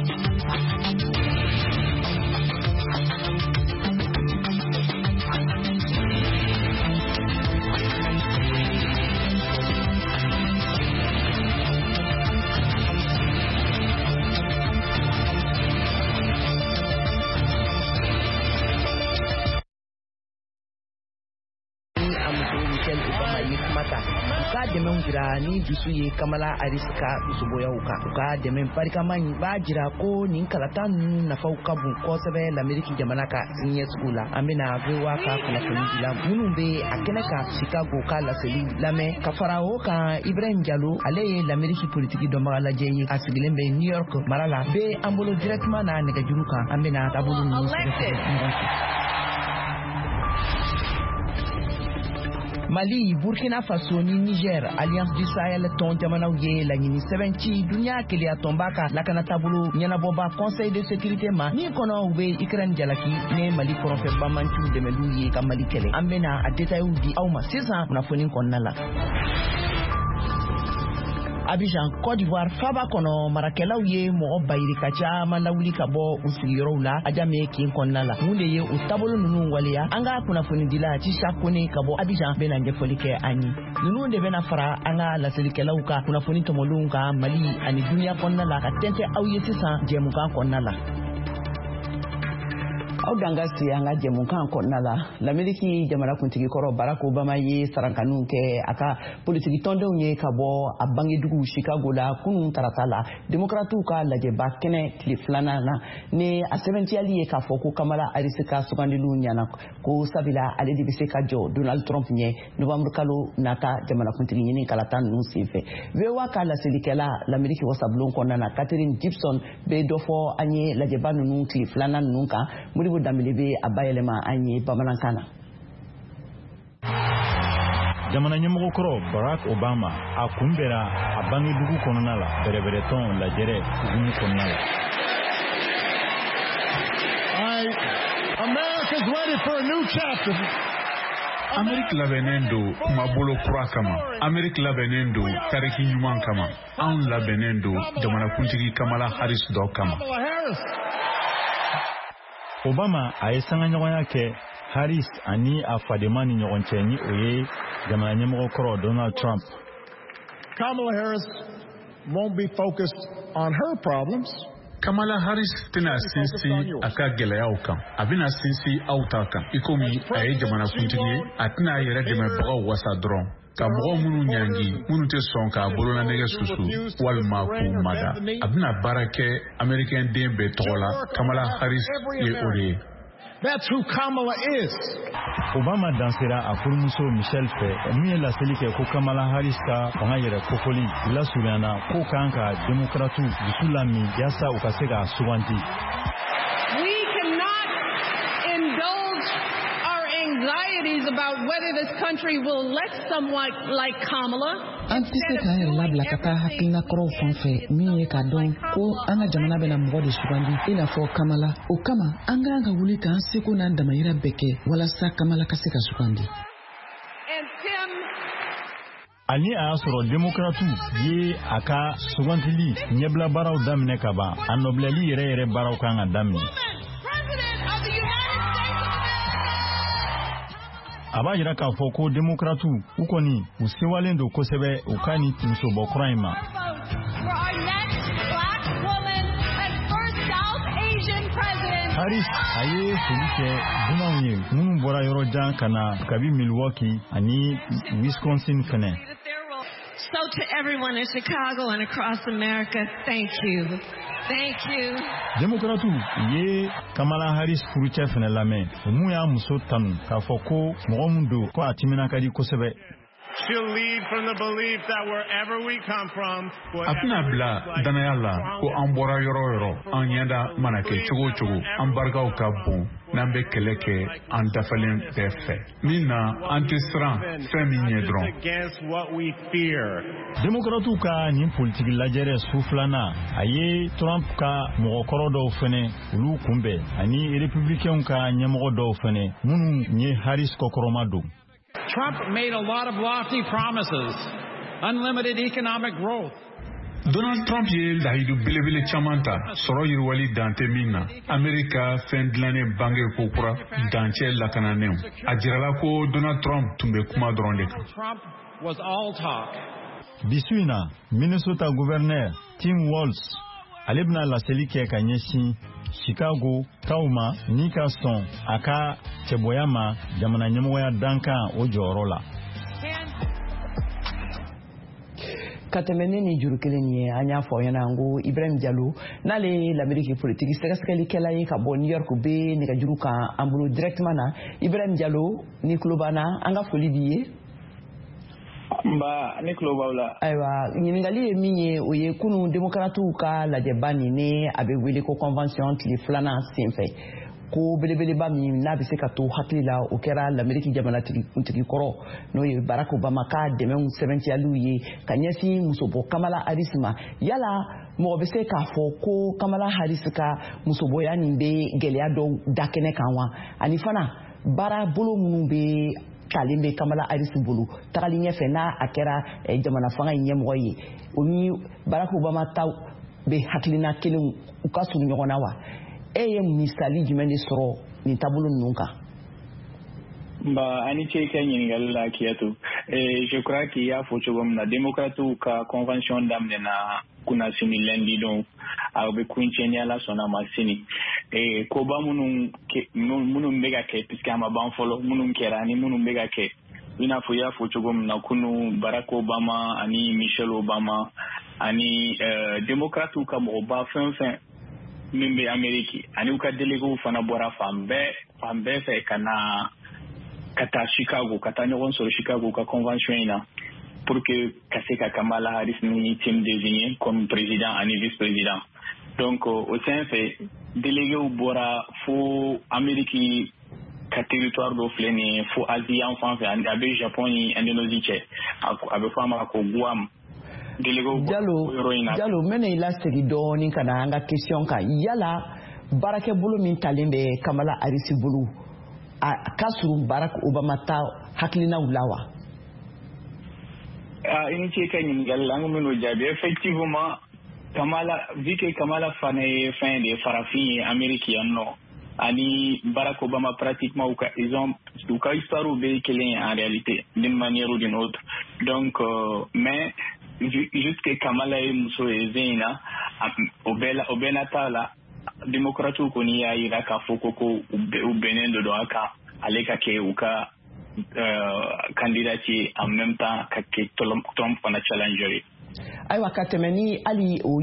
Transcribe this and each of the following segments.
A muso Michelle Obama ye kuma ta, u ka dɛmɛw jira ni dusu ye Kamala Harris ka musoboyaw kan. U ka dɛmɛ barikama in b'a jira ko nin kalata ninnu nafaw ka bon kosɛbɛ Lameriki jamana ka siniɲɛsugu la. An bɛna VOA ka kunnafoni dila minnu bɛ a kɛnɛ kan Chicago ka laseliw lamɛn. Ka fara o kan, Ibrahim Jalo, ale ye Lameriki politiki dɔnbaga lajɛ ye, a sigilen bɛ New York mara la, bɛ an bolo directement na nɛgɛjuru kan. An bɛna taabolo ninnu sɛgɛsɛgɛ ɲɔgɔn fɛ. Mali, Burkina Faso ni Niger, Alliance du Sahel tɔn jamanaw ye laɲini sɛbɛn ci duniya kelenya tɔnba ka lakana taabolo ɲɛnabɔba Conseil de sécurité ma, min kɔnɔ u bɛ Ukraine jalaki ni Mali kɔrɔnfɛ banbanciw dɛmɛliw ye ka Mali kɛlɛ. An bɛna a détails di aw ma sisan kunnafoni kɔnɔna la. Abidjan, Côte d'Ivoire faba kɔnɔ, marakɛlaw ye mɔgɔ bayirika caman lawuli ka bɔ u sigiyɔrɔw la Adjamé kin kɔnɔna la. Mun de ye o taabolo ninnu waleya? An ka kunnafonidila Tisa Kone ka bɔ Abidjan bɛna ɲɛfɔli kɛ an ye. Ninnu de bɛna fara an ka laselikɛlaw ka kunnafoni tɔmɔlenw kan Mali ani duniya kɔnɔna la ka tɛntɛ aw ye sisan jɛmukan kɔnɔna la. Aw dan ka se an ka jɛmukan kɔnɔna la. Lameriki jamanakuntigi kɔrɔ Barack Obama ye sarankaniw kɛ a ka politiki tɔndenw ye ka bɔ a bangedugu Chicago la kunun tarata la, demokratiw ka lajɛba kɛnɛ tile filanan na, ni a sɛbɛntiyali ye k'a fɔ ko Kamala Harris ka sugandiliw ɲana, ko sabula ale de bɛ se ka jɔ Donald Trump ɲɛ novembre kalo nata jamanakuntigi ɲini kalata ninnu senfɛ. VOA ka laselikɛla Lameriki wasabulon kɔnɔna na, Catherine Gibson, bɛ dɔ fɔ an ye lajɛba ninnu tile filanan ninnu kan. Modibo Danbele bɛ a bayɛlɛma an ye bamanankan na. Jamana ɲɛmɔgɔkɔrɔ Barack Obama a kunbɛra a bangedugu kɔnɔna la bɛrɛbɛrɛtɔn lajɛrɛ hukumu kɔnɔna la. America's ready for a new chapter. Ameriki labɛnnen don kumabolo kura kama. Ameriki labɛnnen don tariki ɲuman kama. Anw labɛnnen don jamanakuntigi Kamala Harris dɔ kama. Obama a ye sangaɲɔgɔnya kɛ Harris ani a fadenma ni ɲɔgɔn cɛ, ni o ye jamana ɲɛmɔgɔ kɔrɔ Donald Trump. Kamala Harris won't be focused on her problems. Kamala Harris tɛna sinsin a ka gɛlɛyaw kan. A bɛna sinsin aw ta kan. I komi a ye jamanakuntigi ye, a tɛna a yɛrɛ dɛmɛbagaw wasa dɔrɔn, ka mɔgɔ minnu ɲangi, minnu tɛ sɔn k'a bololanɛgɛ susu walima k'u mada. A bɛna baara kɛ Américain den bɛɛ tɔgɔ la. Kamala Harris ye o de ye. That's who Kamala is. Obama dansera a furumuso Michelle fɛ, min ye laseli kɛ ko Kamala Harris ka fanga yɛrɛ kofɔli lasurunyana ko kan ka demokratiw dusu lamin yaasa u ka se k'a suganti. We cannot indulge our anxieties about whether this country will elect someone like Kamala. An tɛ se k'an yɛrɛ labila ka taa hakilina kɔrɔw fan fɛ, min ye k'a dɔn ko an ka jamana bɛna mɔgɔ de sugandi i n'a fɔ Kamala. O kama, an k'an ka wuli k'an seko n'an damayira bɛɛ kɛ walasa Kamala ka se ka sugandi. Ani a y'a sɔrɔ demokratiw ye a ka sugantili ɲɛbila baaraw daminɛ ka ban, a nɔbilali yɛrɛ yɛrɛ baaraw kan ka daminɛ. A b'a jira k'a fɔ ko demokratiw u kɔni u sewalen don kosɛbɛ u ka nin musobɔ kura in ma. Harris a ye foli kɛ dunanw ye minnu bɔra yɔrɔ jan ka na kabi Milwaukee ani Wisconsin fɛnɛ. So to everyone in Chicago and across America, thank you. Thank you. Demokratiw ye Kamala Harris furucɛ fɛnɛ lamɛn, o mun y'a muso tanu k'a fɔ ko mɔgɔ min don, ko a timina ka di kosɛbɛ. A tɛna bila dannaya la ko an bɔra yɔrɔ o yɔrɔ, an ɲɛda mana kɛ cogo o cogo, an barikaw ka bon n'an bɛ kɛlɛ kɛ an dafalen bɛɛ fɛ min na, an tɛ siran fɛn min ɲɛ dɔrɔn. Demokratiw ka nin politiki lajɛrɛ su filanan, a ye Trump ka mɔgɔkɔrɔ dɔw fɛnɛ olu kunbɛn, ani républicainw ka ɲɛmɔgɔ dɔw fɛnɛ minnu ye Harris kɔkɔrɔma don. Trump made a lot of lofty promises, unlimited economic growth. Donald Trump ye lahidu belebele caman ta, sɔrɔ yiriwali dan tɛ min na, Amerika fɛn dilannen bange kokura, dancɛ lakananenw. A jirala ko Donald Trump tun bɛ kuma dɔrɔn de kan. Bi su in na, Minnesota gouverneur Tim Walz, ale bɛna laseli kɛ ka ɲɛsin Chicago kaw ma ni ka sɔn a ka cɛbɔya ma jamana ɲɛmɔgɔya dankan o jɔyɔrɔ la. Ka tɛmɛ ne ni juru kelen ye, an y'a fɔ aw ɲɛna ko Ibrahim Jalo, n'ale ye Lameriki politiki sɛgɛsɛgɛlikɛla ye ka bɔ New York, bɛ nɛgɛjuru kan an bolo directement na. Ibrahim Jalo, ni tulo b'an na, an ka foli b'i ye. Nba, ne tulo b'aw la. Ayiwa, ɲininkali ye min ye, o ye kunun démocratew ka lajɛba nin ni a bɛ wele ko convention tile filanan senfɛ, ko belebeleba min n'a bɛ se ka to hakili la, o kɛra Lameriki jamanatigi kuntigi kɔrɔ, n'o ye Barack Obama ka dɛmɛw sɛbɛntiyaliw ye ka ɲɛsin musobɔ Kamala Harris ma. Yala mɔgɔ bɛ se k'a fɔ ko Kamala Harris ka musobɔya nin bɛ gɛlɛya dɔw da kɛnɛ kan wa? Ani fana, baara bolo minnu bɛ talen bɛ Kamala Harris bolo tagali ɲɛfɛ n'a a kɛra jamana fanga in ɲɛmɔgɔ ye, o ni Barack Obama ta bɛ hakilina kelen, u ka surun ɲɔgɔn na wa? E ye misali jumɛn de sɔrɔ nin taabolo ninnu kan? Nba, ani ce i ka ɲininkali la, Kiyatu. Je crois qu'il y'a fɔ cogo min na, démocratew ka convention daminɛna kunnasini lundi don, a bɛ kuncɛ ni Ala sɔnna ma sini. Koba minnu bɛ ka kɛ, puisque a ma ban fɔlɔ, minnu kɛra ani minnu bɛ ka kɛ, i n'a fɔ i y'a fɔ cogo min na, kunu Barack Obama ani Michelle Obama ani démocratew ka mɔgɔba fɛn fɛn min bɛ Amérique ani u ka délégués fana bɔra fan bɛɛ fan bɛɛ fɛ ka na ka taa Chicago, ka taa ɲɔgɔn sɔrɔ Chicago ka convention in na pour que ka se ka Kamala Harris ni Tim désigner comme président ani vice-président. Donc o sen fɛ, délégués bɔra fo Amérique ka territoire dɔ filɛ nin ye, fo Asie yan fan fɛ, a bɛ Japon ni Indonésie cɛ, a bɛ fɔ a ma ko Guam. Jalo, Jalo, n bɛna i lasegin dɔɔnin ka na an ka question kan. Yala baarakɛbolo min talen bɛ Kamala Harris bolo, a ka surun Barack Obama ta hakilinaw la wa? I ni ce ka ɲininkali la, an kun bɛn'o jaabi. Effectivement, Kamala, vu que Kamala fana ye fɛn de ye, farafin ye Amérique yan nɔ, ani Barack Obama pratiquement u ka ils ont u ka histoire bɛɛ ye kelen ye en réalité, d'une manière ou d'une autre. Donc mais juste que Kamala ye muso ye zen in na, o bɛɛ la, o bɛɛ n'a ta la, démocrates kɔni y'a yira k'a fɔ ko u bɛnnen de don a kan, ale ka kɛ u ka candidat ye, en même temps ka kɛ Trump fana challenger ye. Ayiwa, ka tɛmɛ ni hali o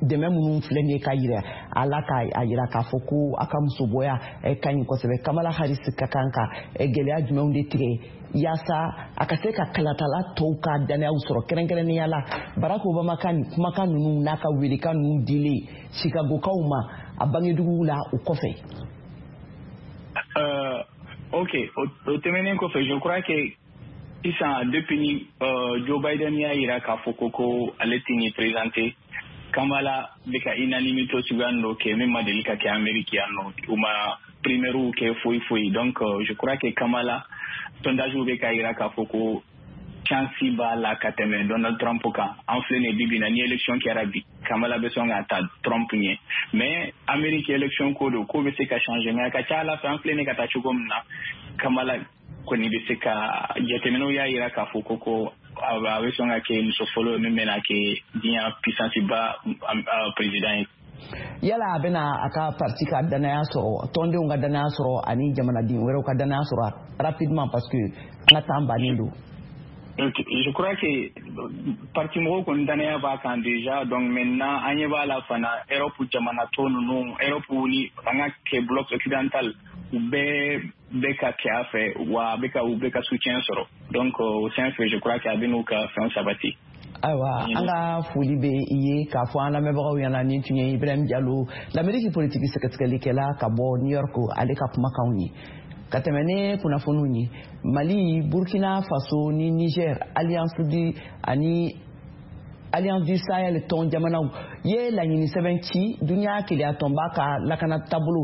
dɛmɛ minnu filɛ nin ye ka yira a la, ka a yira k'a fɔ ko a ka musobɔya ka ɲi kosɛbɛ, Kamala Harris ka kan ka gɛlɛya jumɛnw de tigɛ yaasa a ka se ka kalatala tɔw ka danayaw sɔrɔ, kɛrɛnkɛrɛnnenya la Barack Obama ka nin kumakan ninnu n'a ka welekan ninnu dilen Chicagokaw ma a bangedugu la o kɔfɛ? Ok, o tɛmɛnen kɔfɛ, je crois que sisan, depuis ni Joe Biden y'a yira k'a fɔ ko ale tɛ nin présenter, Kamala bɛ ka unanimité suguya dɔ kɛ min ma deli ka kɛ Amérique yan nɔ, u ma primaire kɛ foyi foyi. Donc je crois que Kamala, sondage bɛ ka yira k'a fɔ ko chance b'a la ka tɛmɛ Donald Trump kan. An filɛ nin ye bi bi in na, ni élection kɛra bi, Kamala bɛ sɔn ka ta Trump ɲɛ. Mais Amérique élection ko don, ko bɛ se ka changer, mais a ka ca ala fɛ, an filɛ nin ka taa cogo min na, Kamala kɔni bɛ se ka, jateminɛw y'a yira k'a fɔ ko a bɛ sɔn ka kɛ muso fɔlɔ min bɛna kɛ diɲɛ puissance ba président ye. Yala a bɛna a ka parti ka danaya sɔrɔ, tɔndenw ka danaya sɔrɔ ani jamanaden wɛrɛw ka danaya sɔrɔ rapidement, parce que an ka temps bannen don? Je crois que parti mɔgɔw kɔni danaya b'a kan déjà. Donc maintenant, an ɲɛ b'a la fana, Europe jamana tɔ ninnu, Europe ni an ka kɛ bloc occidental, u bɛɛ bɛ ka kɛ a fɛ wa, a bɛ ka u bɛ ka soutien sɔrɔ. Donc o sen fɛ, je crois que a bɛ n'u ka fɛn sabati. Ayiwa, an ka foli bɛ i ye k'a fɔ an lamɛnbagaw ɲɛna, nin tun ye Ibrahim Jalo, Lameriki politiki sɛgɛsɛgɛlikɛla ka bɔ New York, ale ka kumakanw ye. Ka tɛmɛ ne kunnafoniw ye, Mali, Burkina Faso ni Niger, alliance du ani Alliance du Sahel tɔn jamanaw ye laɲini sɛbɛn ci duniya keleya tɔnba ka lakana taabolo.